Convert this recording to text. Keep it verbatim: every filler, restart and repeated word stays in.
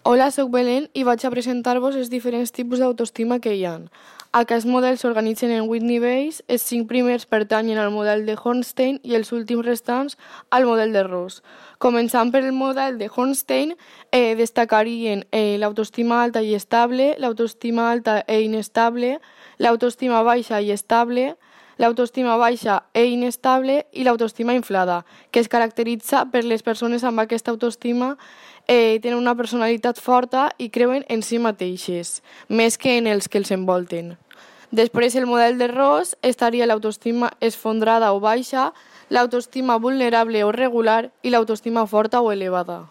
Hola, soc Belén i vaig a presentar-vos els diferents tipus d'autoestima que hi ha. Aquests models s'organitzen en vuit nivells, els cinc primers pertanyen al model de Hornstein i els últims restants al model de Ross. Començant per el model de Hornstein, eh, destacarien eh, l'autoestima alta i estable, l'autoestima alta e inestable, l'autoestima baixa i estable, l'autoestima baixa e inestable i l'autoestima inflada, que es caracteritza per les persones amb aquesta autoestima eh, tenen una personalitat forta i creuen en si mateixes, més que en els que els envolten. Després, el model de Ross estaria l'autoestima esfondrada o baixa, l'autoestima vulnerable o regular i l'autoestima forta o elevada.